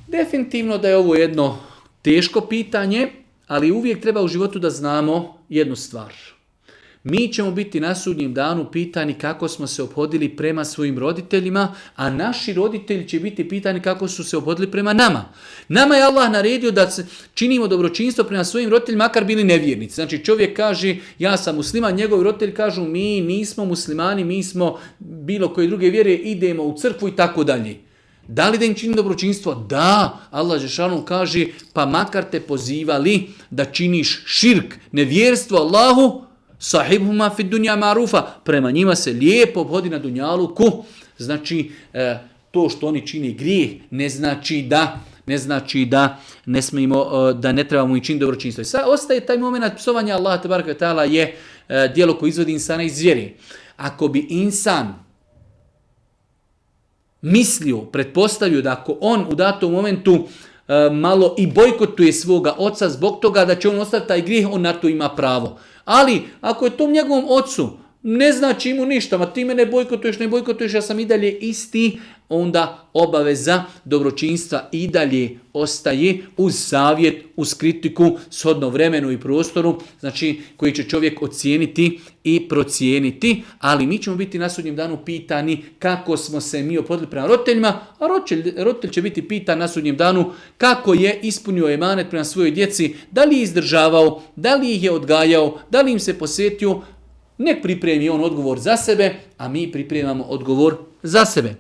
Definitivno da je ovo jedno teško pitanje, ali uvijek treba u životu da znamo jednu stvar. Mi ćemo biti na sudnjem danu pitani kako smo se ophodili prema svojim roditeljima, a naši roditelji će biti pitani kako su se ophodili prema nama. Nama je Allah naredio da činimo dobročinstvo prema svojim roditeljima, makar bili nevjernici. Znači čovjek kaže ja sam musliman, njegovi roditelji kažu mi nismo muslimani, mi smo bilo koje druge vjere, idemo u crkvu i tako dalje. Da li da im čini dobročinstvo? Da, Allah dželešanu kaže pa makar te pozivali da činiš širk, nevjerstvo Allahu, sahibhuma fid dunja marufa, prema njima se lijepo obhodi na dunjaluku. Znači, to što oni čini grijeh ne znači da ne smijemo, da ne trebamo i činiti dobročinstvo. Sad ostaje taj moment psovanja Allaha tebareke ve taala je djelo koje izvodi insana iz vjere. Ako bi insan mislio, pretpostavio da ako on u datom momentu malo i bojkotuje svoga oca zbog toga da će on ostaviti taj grijeh, on na to ima pravo. Ali ako je tom njegovom ocu ne znači mu ništa, ma ti me ne bojkotuješ, ja sam i dalje isti, onda obaveza dobročinstva i dalje ostaje uz savjet, uz kritiku, shodno vremenu i prostoru, znači koji će čovjek ocijeniti i procijeniti, ali mi ćemo biti na sudnjem danu pitani kako smo se mi ophodili prema roditeljima, a roditelj će biti pitan na sudnjem danu kako je ispunio emanet prema svojoj djeci, da li je izdržavao, da li ih je odgajao, da li im se posvetio. Nek pripremi on odgovor za sebe, a mi pripremamo odgovor za sebe.